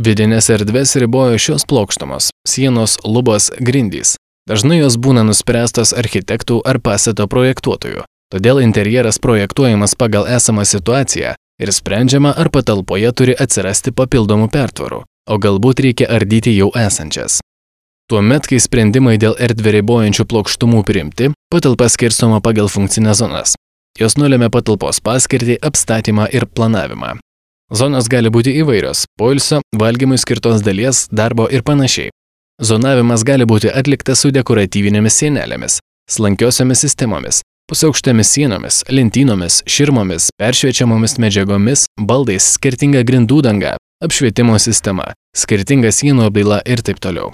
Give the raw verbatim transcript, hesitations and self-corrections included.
Vidinės erdvės ribojo šios plokštumos – sienos, lubos, grindys. Dažnai jos būna nuspręstos architektų ar pastato projektuotojų, todėl interjeras projektuojamas pagal esamą situaciją ir sprendžiama, ar patalpoje turi atsirasti papildomų pertvarų, o galbūt reikia ardyti jau esančias. Tuomet, kai sprendimai dėl erdvę ribojančių plokštumų priimti, patalpa skirstoma pagal funkcinės zonas. Jos nulėmė patalpos paskirtį, apstatymą ir planavimą. Zonos gali būti įvairios – poilsio, valgymui skirtos dalies, darbo ir panašiai. Zonavimas gali būti atliktas su dekoratyvinėmis sienelėmis, slankiosiomis sistemomis, pusiaukštėmis sienomis, lentynomis, širmomis, peršviečiamomis medžiagomis, baldais, skirtinga grindų danga, apšvietimo sistema, skirtinga sienų apdaila ir taip toliau.